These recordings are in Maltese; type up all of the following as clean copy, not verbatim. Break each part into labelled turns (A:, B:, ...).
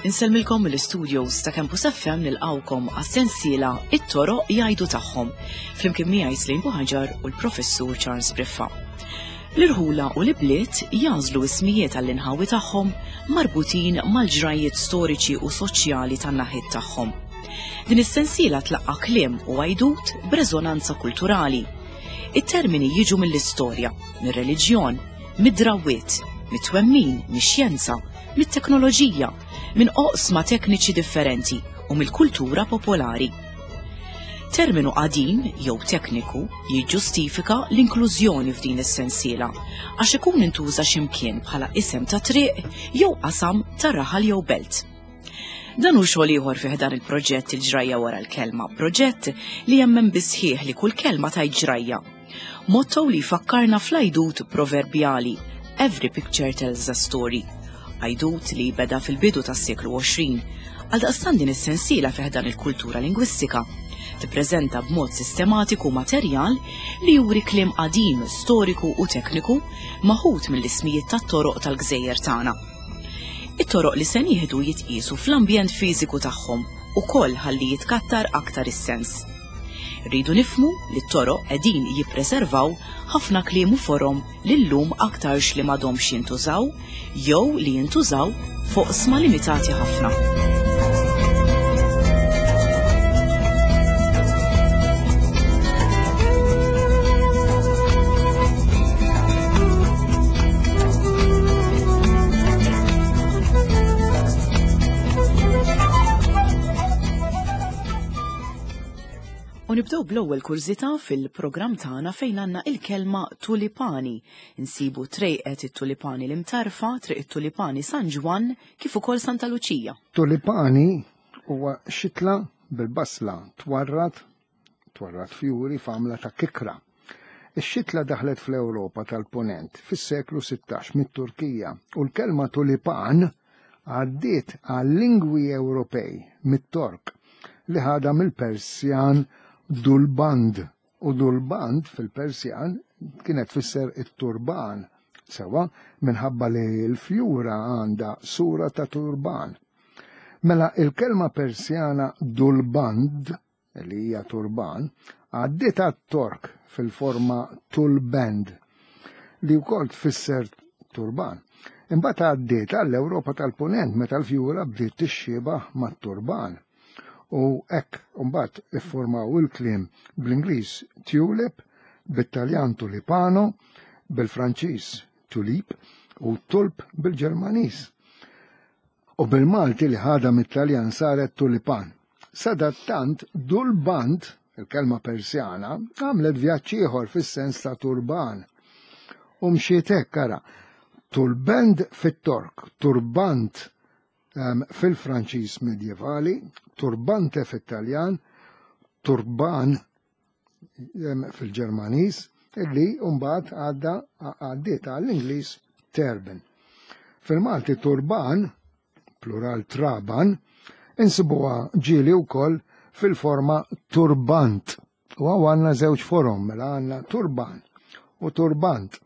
A: Insellmilkom mill-istudios ta' Campus FM nilqawkom għas-sensiela It-toroq jgħidu tagħhom flimkien miegħi Slim Buħaġar u l-Professur Charles Briffa. L-irħula u l-ibliet jagħżlu ismijiet għall-inħawi tagħhom marbutin mal-ġrajjiet storiċi u soċjali tan-naħiet tagħhom. Din is-sensiela tlaqqa' kliem u għajdut b'reżonanza kulturali. It-termini jiġu mill-istorja, mir-reliġjon, mid-drawwiet, mit-twemmin, mix-xjenza, mit-teknoloġija, minn oqsma tekniċi differenti u mill-kultura popolari. Terminu qadim jew tekniku jiġġustifika l-inklużjoni f'din is-sensiela għax ikun intuża x'imkien bħala isem ta' triq jew qasam ta' raħal jew belt. Dan hu xogħol ieħor fi ħdan il-proġett Il-Ġrajja Wara l-Kelma, proġett li jemmen bis-sħiħ li kull kelma tgħid ġrajja. Motto li jfakkarna fl-għajdut proverbjali Every picture tells a story. Għajdut li beda fil-bidu tas-seklu 20. Għaldaqstant din is-sensiela fi ħdan il-kultura lingwistika tippreżenta b'mod sistematiku materjal li juri kliem qadim, storiku u tekniku maħud mill-ismijiet tat-toroq tal-gżejjer tagħna. It-toroq li se nieħdu jitqiesu fl-ambjent fiżiku tagħhom ukoll ħalli jitkattar aktar is-sens. Irridu nifhmu li t-toroq qegħdin jippreservaw ħafna kliem u forom li llum aktarx li m'għadhomx jintużaw jew li jintużaw f'oqsma limitati ħafna. U nibdew bl-ewwel kurżità fil-programm tagħna fejn għandna il-kelma tulipani. Insibu trejqet it-tulipani l-Imtarfa, triq it-tulipani San Ġwann, kif ukoll Santa Luċija.
B: Tulipani huwa xitla bil-basla twarrad twarrad fjuri f'għamla ta' kikra. Ix-xitla daħlet fl-Ewropa tal-Punent fis-seklu 16 mit-Turkija u l-kelma tulipan għaddiet għal-lingwi Ewropej mit-Tork li ħadha mill-Persjan dulband u dulband fil-Persjan kienet tfisser it-turban sewwa minħabba li l-fjura għandha sura ta' turban. Mela il-kelma Persjana dulband li hija turban, għaddiet għat-Tork fil-forma tulband, li wkoll tfisser turban. Imbagħad għaddiet għall-Ewropa tal-Punent meta l-fjura bdiet tixxiebah mat-turban. U hekk imbagħad iffurmaw il-kliem bl-Ingliż tulip, bit-Taljan tulipano, bil-Franċiż tulip u tulp bil-Ġermaniż. U bil-Malti li ħadha mit-Taljan saret tulipan. Sadattant, dulband, il-kelma Persjana, għamlet vjaġġ ieħor fis-sens ta' turban. U mxiet hekk ara, tulbend fit-Tork, turbant ehm, fil-Franċiż medjevali, turbante fit-Taljan, turban fil-Ġermaniż illi mbagħad għadda għaddiet għall-Ingliż turban. Fil-Malti turban, plural traban, insibuha ġieli wkoll fil-forma turbant. U għaw għanna żewġ forom, mela għanna turban u turbant.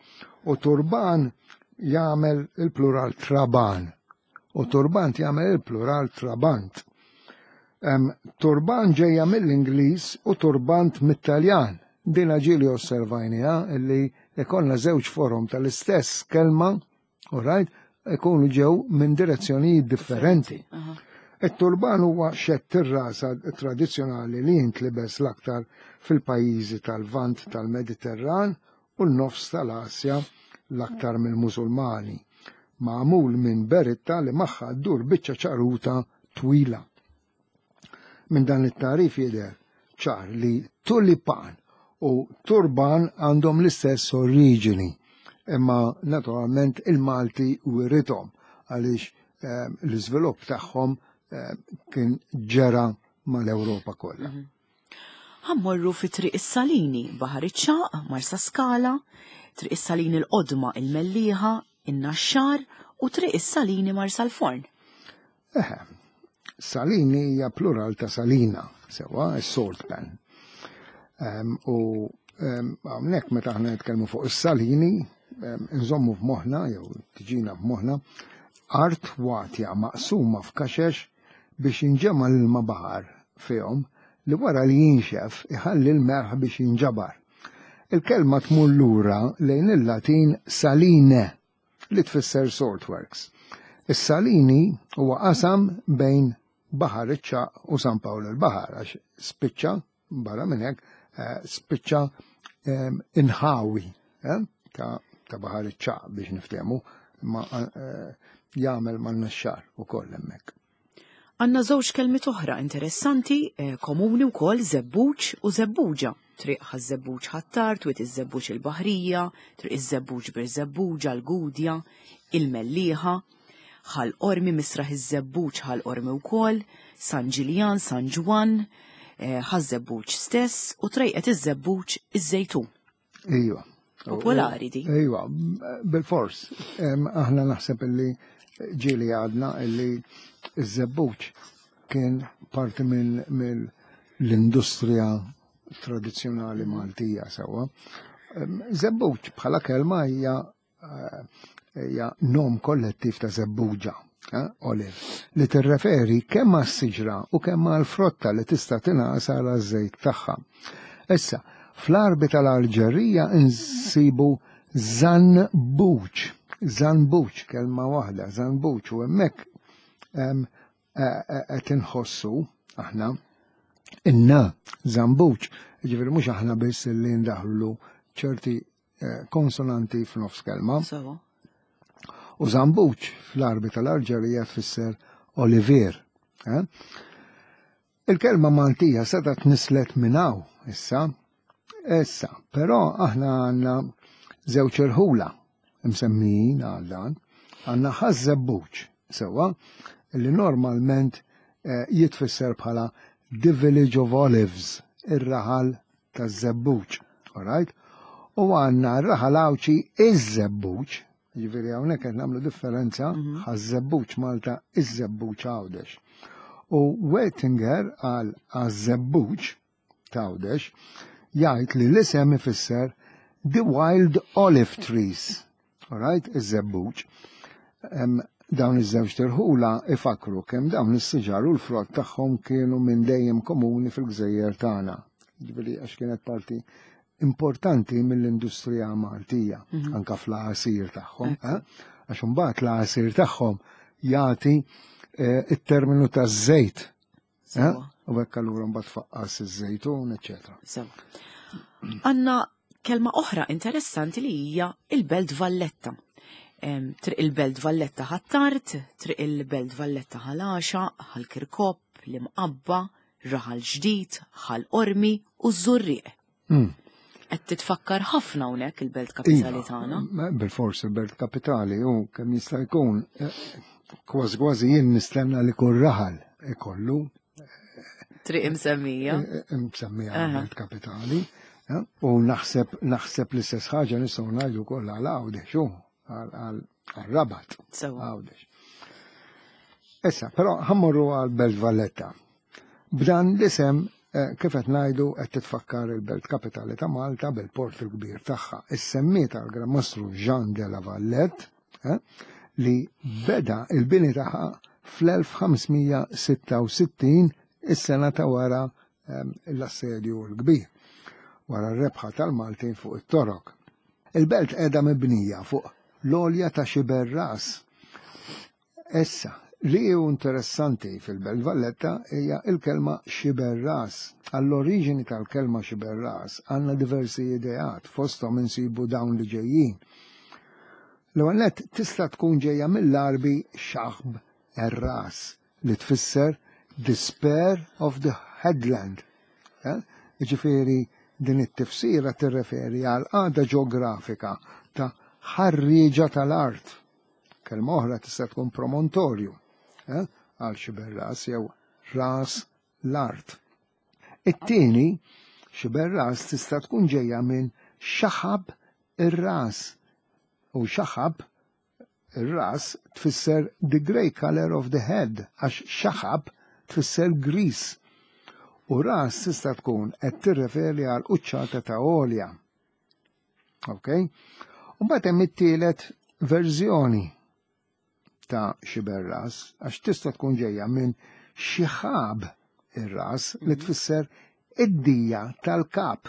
B: U turban jagħmel il-plural traban u turbant jagħmel il-plural trabant. Turban ġejja mill-Ingliż u turbant mit-Taljan. Dina ġieli osservajniha illi ikollna żewġ forom tal-istess kelma, all right, ikunu ġew minn direzzjonijiet differenti. It-turban huwa xedd ir-rasa tradizzjonali li jintlibes l-aktar fil-pajjiżi tal-Lvant tal-Mediterran u n-nofs tal-Asja l-aktar mill-Musulmani, magħmul minn beritta li magħha ddur biċċa ċaruta twila. Minn dan it-tagħrif jidher ċar li tulipan u turban għandhom l-istess oriġini, imma naturalment il-Malti wirithom għaliex eh, l-iżvilupp tagħhom eh, kien ġera mal-Ewropa kollha. Mhm.
A: Ħa mmorru fi Triq is-Salini, Baħar iċ-Ċagħaq, Marsaskala, Triq is-Salini l-Qodma, il-Mellieħa, in-Naxxar u Triq is-Salini Marsalforn.
B: Eħe, Salini hija plural ta' salina, sewwa, is-salt pan. U hawnhekk meta aħna nitkellmu fuq is-salini, nżommu f'moħħna jew tiġina f'moħħna art watja maqsuma f'kaxex biex jinġema' l-ilma baħar fihom li wara li jinxef iħalli l-melħ biex jinġabar. Il-kelma tmur lura lejn il-Latin saline li tfisser saltworks. Is-salini huwa qasam bejn Baħar iċ-Ċagħaq u San Pawl il-Baħar għax spiċċa barra minn hekk eh, spiċċa ehm, inħawi eh, ta' ta' Baħar iċ-Ċagħaq biex niftehmu ma eh, jagħmel man-naxxar ukoll hemmhekk.
A: Għandna żewġ kelmiet oħra interessanti, eh, komuni wkoll żebbuġ u żebbuġa. Triq ħaż-żebbuġ Ħ'Attard, Wied iż-Żebbuġ il-Baħrija, Triq iż-Żebbuġ Birżebbuġa, l-Gudja, il-Mellieħa, Ħal Qormi, Misraħ iż-Żebbuġ Ħal Qormi wkoll, San Ġiljan, San Ġwann, eh, Ħaż-Żebbuġ stess u Trejqet iż-Żebbuġ iż-Żejtun.
B: Ejwa.
A: Popolari di.
B: Ejwa, bil-fors. Aħna naħseb illi ġieli għadna illi iż-żebbuġ kien parti minn l-industrija tradizzjonali Maltija sewwa. Żebbuġ bħala kelma hija hija nom kollettiv ta' żebbuġa, eh, olive, li tirreferi kemm għas-siġra u kemm għall-frotta li tista' tingħasar għaż-żejt tagħha. Issa, fl-Għarbi tal-Alġerija nsibu zanbuċ, zanbuċ, kelma waħda, zanbuċ, u hemmhekk eh, eh, qed inħossu aħna inna zambuċ, ġifieri mhux aħna biss li ndaħlu ċerti Eh, konsonanti f'nofs kelma. U zambuċ fl-arbi tal-Alġerija tfisser Olivier. Eh? Il-kelma Maltija seta tnislet minn hawn issa. Issa, però aħna għandna żewġ irħula msemmijin għal dan, għandna ħaż-żebbuġ sewwa li normalment eh, jitfisser bħala The Village of Olives, ir-raħal taż-żebbuġ, alright? U għandna r-raħal Għawdxi iż-żebbuġ, jiġifieri hawnhekk qed nagħmlu differenza mhm. ħaż-żebbuġ Malta iż-żebbuġ Għawdex. U Wettinger għal għaż-żebbuġ t'Għawdex jgħid li l-isem ifisser the wild olive trees. Alright, iż-żebbuġ. Dawn iż-żewġ tirħula ifakru kemm dawn is-siġar u l-frott tagħhom kienu minn dejjem komuni fil-gżejjer tagħna. Ġifieri għax kienet parti importanti mill-industrija Maltija, mhm. anka fl-għasir tagħhom. Eh? Għax imbagħad l-għasir tagħhom jagħti eh, it-terminu taż-żejt Eh? U hekk allura mbagħad faqqas iż-żejtun, eċetera.
A: Sewa. Għandna kelma oħra interessanti li hija il-Belt Valletta. Triq il-Belt Valletta ħattart, triq il-Belt Valletta ħalaxa, ħal-Kirkop, l-Imqabba, Raħal Ġdid, Ħal Qormi u ż-Żurrieq. Qed titfakkar ħafna hawnhekk il-belt kapitali iva, tagħna.
B: Bil-fors il-belt kapitali u kemm jista' jkun eh, kważi kważi jien nistenna li kull raħal ikollu.
A: Triq imsemmija.
B: Eh, eh, imsemmija belt kapitali. U naħseb naħseb l-istess ħaġa nistgħu ngħidu wkoll għal Għawdex u għal Rabat. Għawdex. Issa, però ħammorru għal Belt Valletta. B'dan l-isem, eh, kif qed ngħidu qed titfakkar il-belt kapitali ta' Malta bil-port il-kbir tagħha. Issemmiet għal Gran Mastru Jean de la Vallette eh, li beda il-bini tagħha fl-1566 is-sena ta' wara eh, l-assedju l-kbir, wara r-rebħa tal-Maltin fuq it-Torok. Il-belt qiegħda mibnija fuq l-għolja ta' Xiberras Issa, li hu interessanti fil-Belt Valletta hija l-kelma xiberras. Għall-oriġini tal-kelma xiberras għandna diversi ideat, fosthom insibu dawn li ġejjin. L-ewwel nett tista' tkun ġejja mill-Għarbi shaħb er-ras li tfisser the spur of the headland. Eh? Jiġifieri din it-tifsira tirreferi għal qagħda ġeografika ta' ħarrieġa tal-art. Kelma oħra tista' tkun promontorju, eh, għal xiberras jew ras l-art. It-tieni, xiberras tista' tkun ġejja minn xaħab ir-ras. U xaħab ir-ras tfisser the grey color of the head, għax xaħab tfisser gris. U ras tista' tkun qed tirreferi għal quċċata ta' għolja. Ok? U mbagħad hemm it-tielet verżjoni ta' xiberras, għax tista' tkun ġejja minn xi ħab ir-ras li tfisser id-dija tal-kap.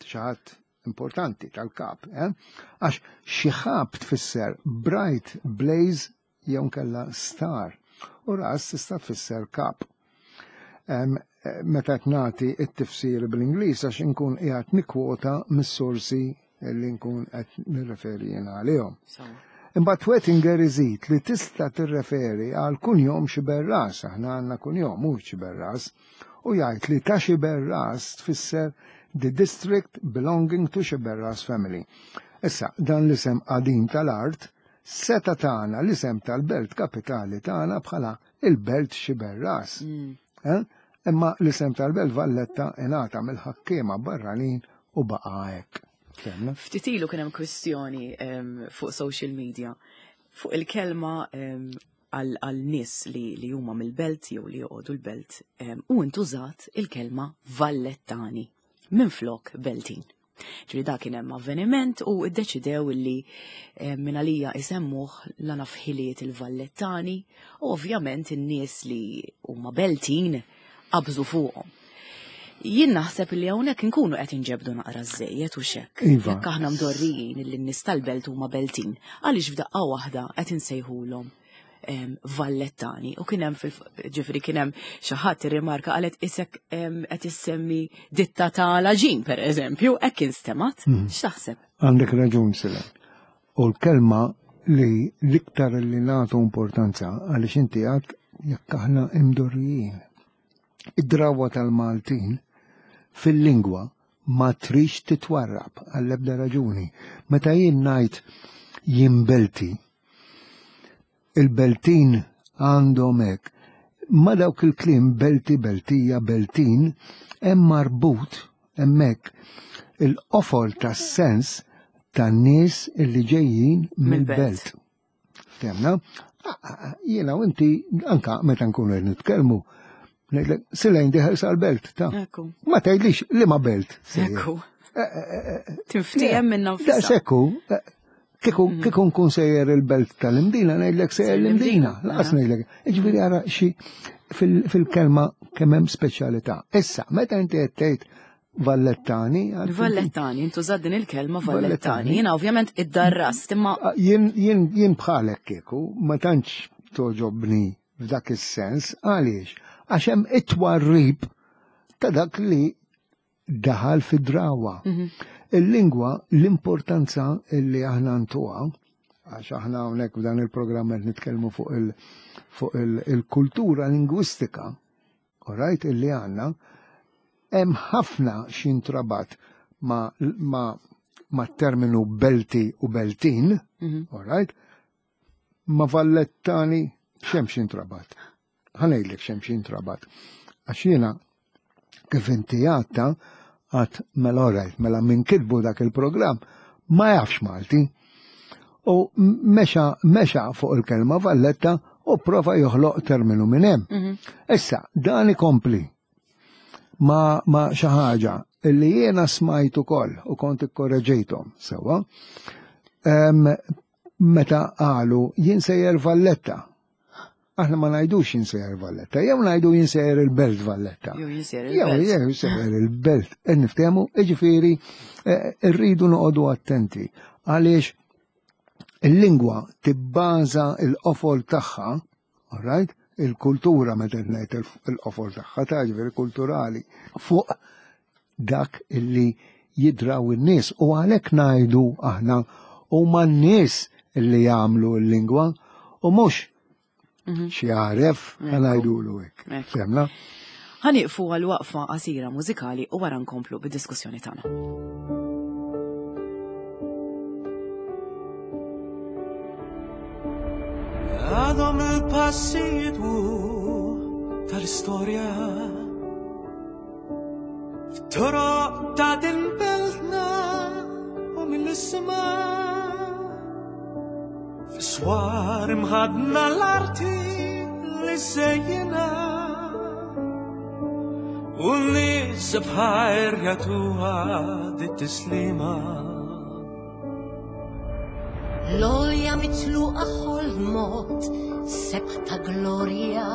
B: Xi ħadd importanti tal-kap, eh? Għax xi ħab tfisser bright blaze jew nkella star u ras tista' tfisser kap. Meta qed nagħti t-tifsir bl-Ingliż għax inkun qiegħed nikkwota mis-sorsi li nkun qed nirreferi jien għalihom. Imbagħad Wettinger iżid li tista' tirreferi għal kunjom Xiberras, aħna għandna kunjom mhux Xiberras, u jgħid li ta' Xiberras tfisser the district belonging to Xiberras family. Issa, dan l-isem qadim tal-art seta tagħna l-isem tal-belt kapitali tagħna bħala il-belt Xiberras. Eh? Imma l-isem tal-belt Valletta ingħata mill-ħakkiema barranin u baqa' hekk. Fhimna?
A: Ftit ilu kien hemm kwistjoni fuq social media fuq il-kelma għal nies li huma mill-belt jew li joqogħdu l-belt u intużat il-kelma Vallettani minflok Beltin. Ġifieri da kien hemm avveniment u ddeċidew li minn għalija isemmuh la naf ħiliet il-Vallettani u ovvjament in-nies li huma Beltin qabżu fuqhom. Jien naħseb li hawnhekk inkunu qed inġebdu naqra żejjed u xekk.
B: Iva.
A: Jekk aħna mdorrijin li n-nies tal-belt huma Beltin, għaliex f'daqqa waħda qed insejħulhom Vallettani u kien hemm fil ġifieri kien hemm xi ħadd irrimarka qalet isek qed issemmi ditta ta' laġin pereżempju, hekk instemat. X'taħseb?
B: Għandek raġun Silen. U l-kelma li l-iktar li nagħtu importanza għaliex inti għad jekk aħna imdorrijin. Id-drawa tal-Maltin fil-lingwa ma trix titwarrab għall-ebda raġuni. Meta jien ngħid jien belti, il-Beltin għandhom hekk. Ma dawk il-kliem belti, beltija, beltin, hemm marbut hemmhekk il-qofol tas-sens tan-nies illi ġejjin mill-belt. Ftemna? Jiena u inti anka meta nkunu qed nitkellmu, ngħidlek Silejn dieħel sal-belt ta' Ma tgħidlix li ma belt.
A: Ekku. Tinftiehem minna nfisha.
B: Daqshekk Kieku kieku nkun sejjer il-belt tal-Imdina, ngħidlek sejjer l-Imdina, laqas ngħidlek. Jiġifieri ara xi fil-kelma kemm hemm speċjalità. Issa, meta inti qed tgħid Vallettani.
A: Vallettani, intużat din il-kelma Vallettani. Jiena ovvjament id-darrast, imma.
B: Jien jien jien bħalek kieku ma tantx toġobni f'dak is-sens, għaliex? Għax hemm it-twarrib ta' dak li daħal fid-drawa. Il-lingwa, l-importanza li aħna ntuha, għax aħna hawnhekk f'dan il-programm qed nitkellmu fuq il- fuq il-kultura lingwistika, alright, illi għandna, hemm ħafna x'intrabat ma, ma, ma terminu belti u beltin, alright, ma Vallettani x'hemm x'intrabat. Ħa ngħidlek x'hemm x'intrabat. Għax jiena kif inti għatta għat mela alright, mela minn kitbu dak il-programm ma jafx Malti. U mexa, mexa fuq il-kelma Valletta u prova joħloq terminu minn hemm. Issa, dan ikompli ma, ma xi ħaġa illi jiena smajt ukoll u kont ikkorreġejthom sewwa. Meta qalu jien sejjer Valletta. Aħna ma ngħidux jien sejjer Valletta, jew ngħidu jien sejjer il-Belt Valletta.
A: Jew jien sejjer
B: Jew
A: il-belt.
B: jew sejjer il-belt. E niftehmu, jiġifieri rridu noqogħdu attenti għaliex il-lingwa tibbaża il-qofol tagħha, all right? Il-kultura meta ngħid il-qofol tagħha ta' ġifieri kulturali fuq dak illi jidraw in-nies u għalhekk ngħidu aħna huma n-nies illi jagħmlu l-lingwa u mhux xi għaref ngħidulu hekk. Fehmna?
A: Ħa nieqfu għal waqfa qasira mużikali u wara nkomplu bid-diskussjoni tagħna.
C: Għadhom il-passi jidwu tal-istorja F'toroq ta' din beltna u mill-isma Fis-swar imħadna l-arti li sejjina. U n-nies bħajr jagħtuha dit-tislima.
D: L-olja mitluqa ħolmot sebħ ta' glorja.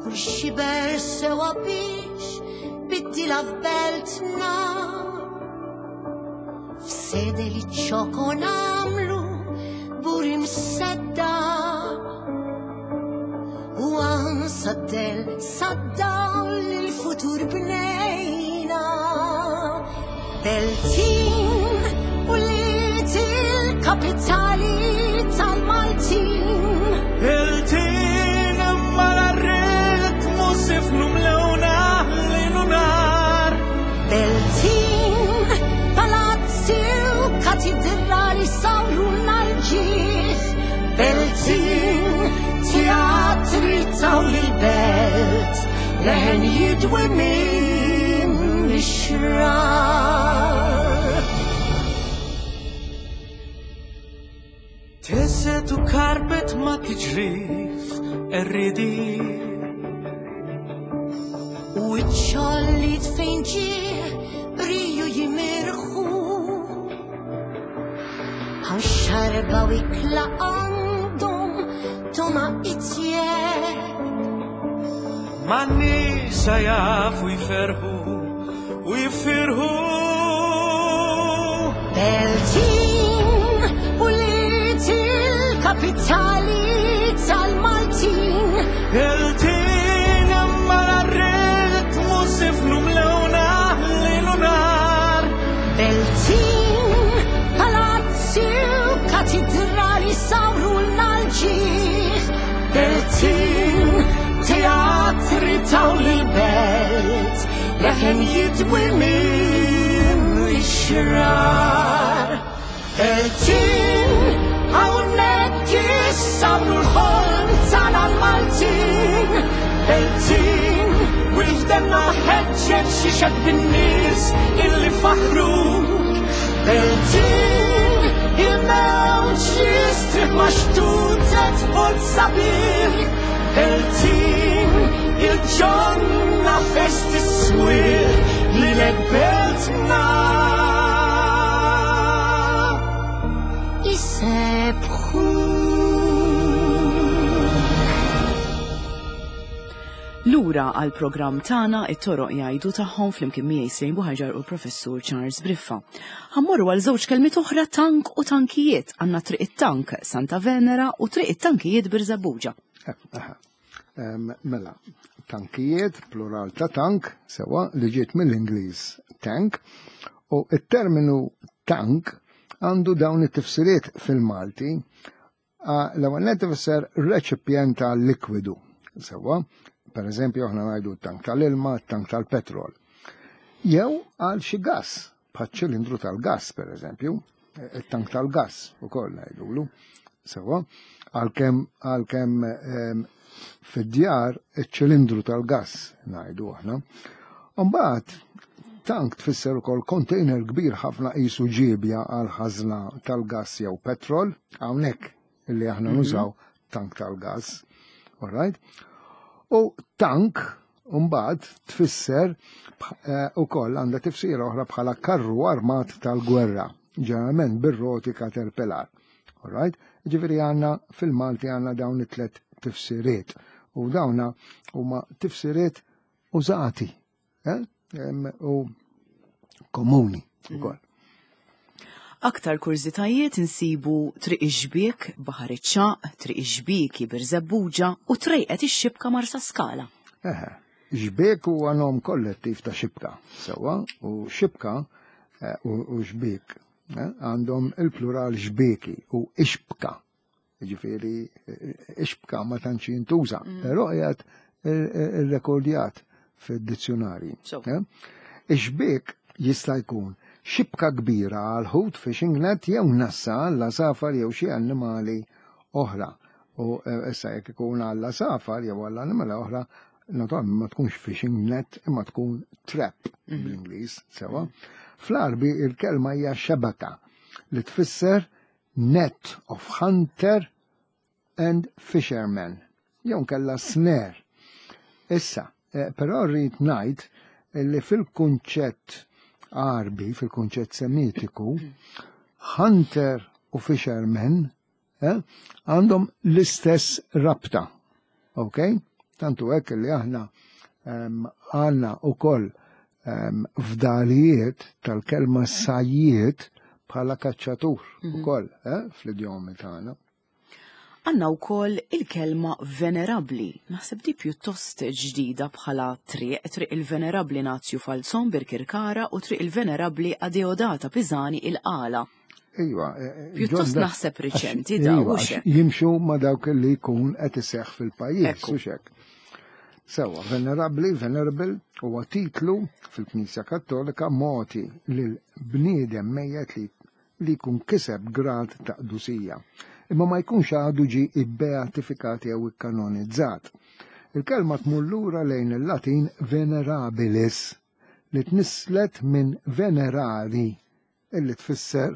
D: Kull xiber sewa biex biddila f'beltna. F'sede li ċokon għamlu buri msedda. U għan saddel saddaw l-futur bnejna. Beltin u liet il-kapitali tal-Maltin.
C: Beltin mal-ritmu sifnu mlewna lejl u nar.
D: Beltin, palazzi u katidrali sawru l-ġieħ. Beltin, teatri taw l-belt, leħen jidwi minn ix-xrar.
C: Teset u karpet ma tiġrif erridi.
D: U iċ-ċollit fejn ġie riju jimirħu. Hawn xarba u ikla għandhom toma itjeb.
C: Ma nisa jafu jferħu u jifirħu.
D: Beltin u liet il-kapitali tal-Maltin.
C: Beltin mal-ritmu sifnu mlewna lejl u nar.
D: Beltin, palazzi u katidrali sawru l-ġieħ. Beltin, teatri taw l-belt, leħen jidwi minn ix-xrar. Beltin, hawnhekk issawru l-ħolm tagħna l-Maltin.
C: Beltin, wifdenna ħeġġeġ xi xedd bin-nies illi faħruk. Beltin, il-mewġ jistrieħ ma' xtutet ħodd sabiħ. Beltin, il-ġonna fest is-swieq lilek beltna.
D: Isebħuk.
A: Lura għal programm tagħna it-toroq jgħidu tagħhom flimkien miegħi Sejn Buħaġar u l-Professur Charles Briffa. Ħammorru għal żewġ kelmiet oħra tank u tankijiet għandna Triq it-Tank Santa Venera u Triq it-Tankijiet Birżebbuġa.
B: Mela, tankijiet, plural ta' tank, sewa li ġiet mill-Ingliż tank, u it-terminu tank għandu dawn it-tifsiriet fil-Malti. L-ewwel nett ifisser reċipjent ta' likwidu, sewa, per eżempju aħna ngħidu tank tal-ilma, tank tal-petrol. Jew għal xi gas, bħal ċilindru tal-gas per eżempju, it-tank tal-gas ukoll ngħidulu, sewa, għalkemm fid-djar iċ-ċilindru tal-gas ngħidu aħna. Mbagħad tank tfisser ukoll container kbir ħafna qisu ġiebja għal ħażna tal-gas jew petrol, hawnhekk illi aħna nużaw tank tal-gas. All right? U tank mbagħad tfisser ukoll għandha tifsira oħra bħala karru armat tal-gwerra, ġeneralment bir-roti caterpillar. All right? Ġifieri għandna fil-Malti għandna dawn it-tlet tifsiriet u dawna huma tifsiriet użati, u komuni ukoll.
A: Aktar kurżitajiet insibu Triq ix-Xbiek, Baħar iċ-Ċagħaq, Triq ix-Xbieki Birżebbuġa u Trejqet ix-Xibka Marsa Skala.
B: Eħe, xbiek huwa nom kollettiv ta' xibka, sewwa, u xibka u xbiek għandhom il-plural xbieki u ixbka. Ġifieri ixbka ma tantx jintuża, però qiegħed irrekordjat fid-dizzjonarji. Ix-xbiek jista' jkun xibka kbira għal ħut fishing net jew nassa għal safar jew xi annimali oħra. U issa jekk ikun għal safar jew għal annimali oħra, naturalment ma tkunx fishing net imma tkun trap bl-Ingliż, sewa. Fl-Arbi il-kelma hija xebaka li tfisser net of hunter and fisherman, jew kella snare. Issa, Eh, però rrid ngħid li fil-kunċett Għarbi, fil-kunċett Semitiku, hunter u fisherman eh, għandhom l-istess rabta. Ok? Tantu hekk li aħna għandna ukoll fdalijiet tal-kelma sajjiet bħala kaċċatur mhm. ukoll eh, fl-idjomi tagħna.
A: Għandna wkoll il-kelma venerabbli. Naħseb di pjuttost ġdida bħala triq, triq il-Venerabbli Nazju Falzon Birkirkara u triq il-Venerabbli Adeodata Pisani il-Qala.
B: Iva, eh, eh,
A: Pjuttost naħseb riċenti da
B: iva, Jimxu ma dawk li jkun qed iseħħ fil-pajjiż, u xek. Sewa, venerabbli, venerable, huwa titlu fil-Knisja Kattolika moti lil bniedem mejjet li li jkun kiseb grad ta' qdusija, imma ma jkunx għadu ġie ibbeatifikat jew ikkanonizzat. Il-kelma tmur lura lejn il-Latin venerabilis, li tnisslet minn venerari, illi tfisser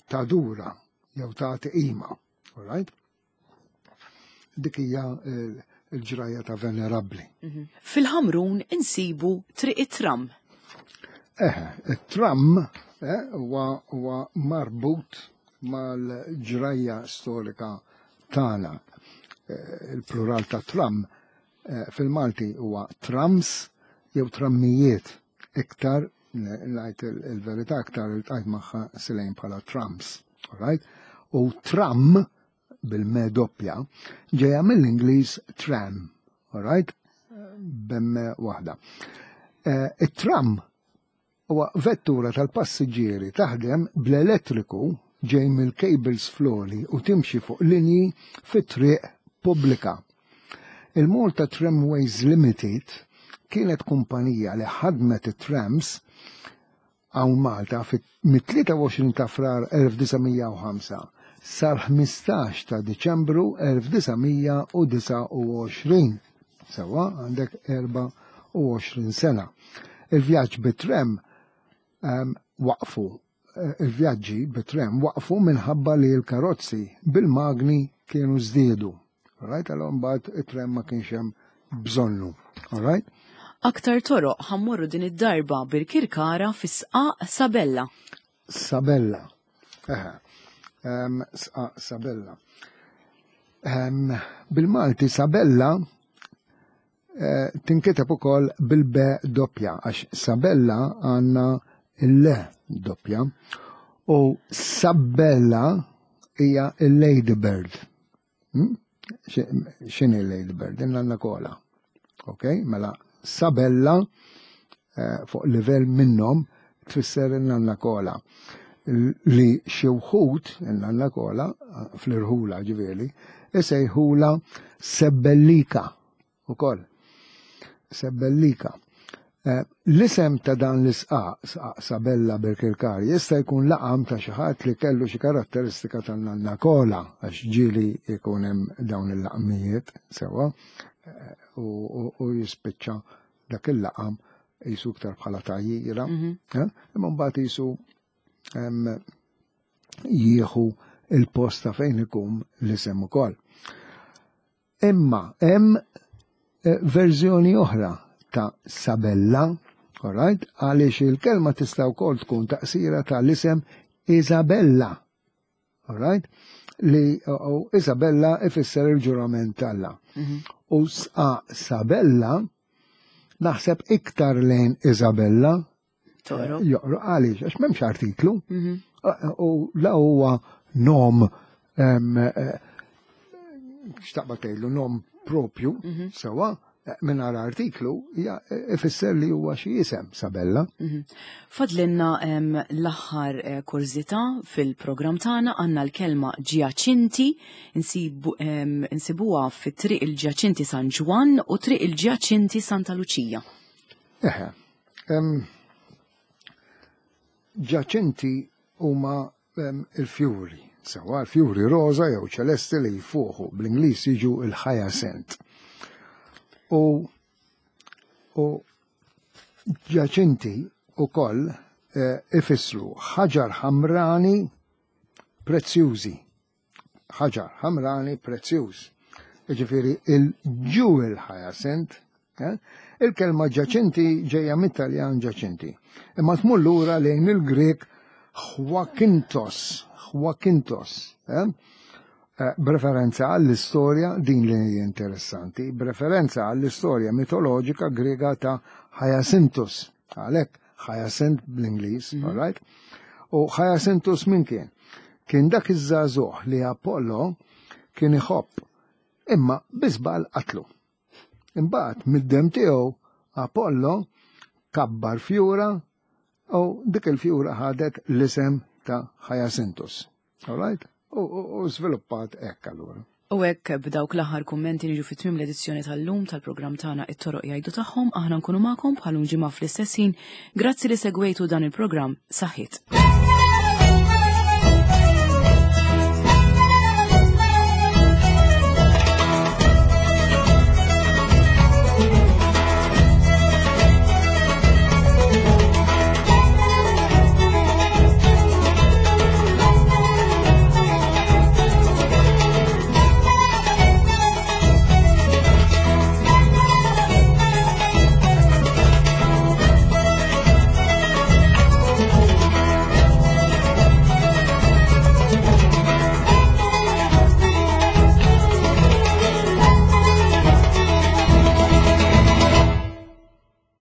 B: tadura jew tagħti qima. All right? Dik hija l-ġrajja ta' Venerabbli.
A: Mhm. Fil-Ħamrun insibu Triq it-Tram.
B: Eh, it-tram eh, huwa marbut mal-ġrajja storika tagħna. Eh, il-plural ta' tram eh, fil-Malti huwa trams jew trammijiet iktar ngħid il-verità iktar iltqajt magħha silejn bħala trams. All right? U tram bil-me doppja ġejja mill-Ingliż tram, all right? B'emme waħda. Eh, it-tram huwa vettura tal-passiġġieri taħdem bl-elettriku ġej mill-cables floli u timxi fuq linji fit-triq pubblika. Il-Malta Tramways Limited kienet kumpanija li ħadmet it-trams hawn Malta mit-23 ta' Frar 1905 sal-15 ta' Diċembru 1929. Sewwa għandek 24 sena. Il-vjaġġ bit-tram ehm, waqfu eh, il-vjaġġi bit-tram waqfu minħabba li l-karozzi bil-magni kienu żdiedu. Alright, allora mbagħad it-tram ma kienx hemm bżonnu. Alright?
A: Aktar toroq ħammorru din id-darba Birkirkara fis-sqaq Sabella.
B: Sabella. Eħe. Um, sqaq Sabella. Um, Bil-Malti Sabella eh, tinkiteb ukoll bil-B doppja għax Sabella għandna il-le doppja u Sabella hija il-Ladybird. Hmm? X'inhi l-Ladybird? Inna kola. Ok, mela Sabella eh, fuq livell minnhom tfisser in-nanna kola li xi wħud in-nanna kola fl-irħula ġifieri isejħula sebbellika ukoll. Sebbellika. Eh, l-isem ta' dan l-isqaq, sqaq Sabella Birkirkar, jista' jkun laqam ta' xi ħadd li kellu xi karatteristika tan-nanna kola, għax ġieli jkun hemm dawn il-laqmijiet sewwa eh, u jispiċċa dak il-laqam jisu iktar bħala tajjira, mhm. eh, imma mbagħad jisu jieħu il-post ta' fejn ikun l-isem ukoll. Imma hemm eh, verżjoni oħra ta' Sabella, alright, għaliex il-kelma tista' wkoll tkun taqsira tal-isem Isabella, alright, li u Isabella ifisser il-ġurament talla. Mhm. U sa Sabella naħseb iktar lejn Isabella
A: Toro.
B: Joqro għaliex, għax m'hemmx artiklu. Mhm. U la huwa nom eh, xtaqba tgħidlu nom propju, mhm. sewa, eh, mingħajr artiklu hija eh, ifisser li huwa xi isem Sabella.
A: Mhm. Fadlinna l-aħħar kurżità fil-programm tagħna għandna l-kelma ġjaċinti insibuha fit-triq il-Ġjaċinti San Ġwann u triq il-Ġjaċinti Santa Luċija.
B: Eħe, Ġaċinti huma il-fjuri, sewa l-fjuri roża jew ċelesti li jfuħu bl-Ingliż jiġu il-hyacinth. U u ġaċinti ukoll eh, ifissru ħaġar ħamrani prezzjużi. Ħaġar ħamrani prezzjuż. Jiġifieri il-jewel hyacinth. Eh? Il-kelma ġaċinti ġejja mit-Taljan ġaċinti. Imma tmur lura lejn il-Grek Hwakintos, Hwakintos, eh? eh b'referenza għall-istorja din li hija interessanti, b'referenza għall-istorja mitoloġika Grega ta' Hyacinthus, għalhekk Hyacinth bl-Ingliż, mm -hmm. right? U Hyacinthus min kien? Kien dak iż-żagħżugħ li Apollo kien iħobb imma bi żball qatlu. Imbagħad mid-demm tiegħu Apollo kabbar fjura u dik il-fjura ħadet l-isem ta' Hyacinthus. All right? U żviluppat hekk allura.
A: U hekk b'dawk l-aħħar kummenti niġu fi tmiem l-edizzjoni tal-lum tal-programm tagħna It-Toroq Jgħidu Tagħhom, aħna nkunu magħkom bħal ġimgħa fl-istess ħin. Grazzi li segwejtu dan il-programm. Saħħiet.